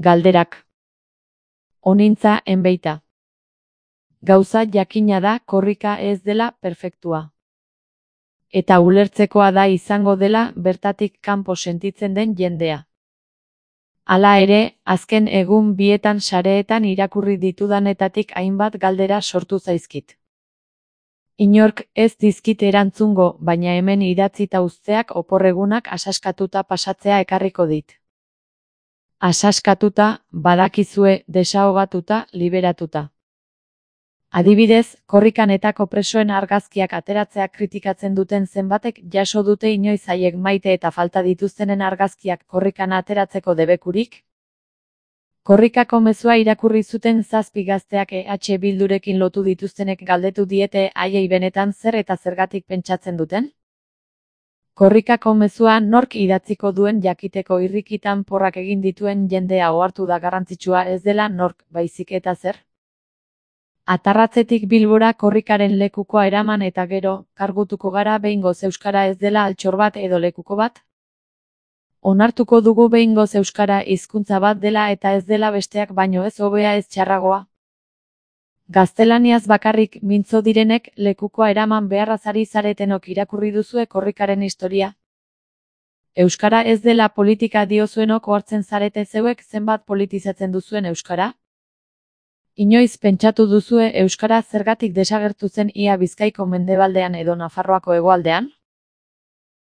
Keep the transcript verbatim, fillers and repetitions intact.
Galderak. Onintza enbeita. Gauza jakina da korrika ez dela perfektua. Eta ulertzekoa da izango dela bertatik kanpo sentitzen den jendea. Hala ere, azken egun bietan sareetan irakurri ditudanetatik hainbat galdera sortu zaizkit. Inork ez dizkit erantzungo, baina hemen idatzita uzteak oporregunak asaskatuta pasatzea ekarriko dit. Asaskatuta, badakizue, desahogatuta, liberatuta. Adibidez, korrikanetako presoen argazkiak ateratzea kritikatzen duten zenbatek jaso dute inoiz haiek maite eta falta dituztenen argazkiak korrikana ateratzeko debekurik? Korrikako mezua irakurri zuten zazpi gazteak E H Bildurekin lotu dituztenek galdetu diete haiei benetan zer eta zergatik pentsatzen duten? Korrikako mezua nork idatziko duen jakiteko irrikitan porrak egin dituen jendea ohartu da garrantzitsua ez dela nork, baizik eta zer? Atarratzetik Bilbora korrikaren lekukoa eraman eta gero, kargutuko gara behingoz euskara ez dela altxor bat edo lekuko bat? Onartuko dugu behingoz euskara hizkuntza bat dela eta ez dela besteak baino ez hobea ez txarragoa? Gaztelaniaz bakarrik mintzo direnek lekukoa eraman beharraz ari zaretenok irakurri duzue korrikaren historia? Euskara ez dela politika diozuenok ohartzen zarete zeuek zenbat politizatzen duzuen euskara? Inoiz pentsatu duzue euskara zergatik desagertu zen ia Bizkaiko mendebaldean edo Nafarroako hegoaldean?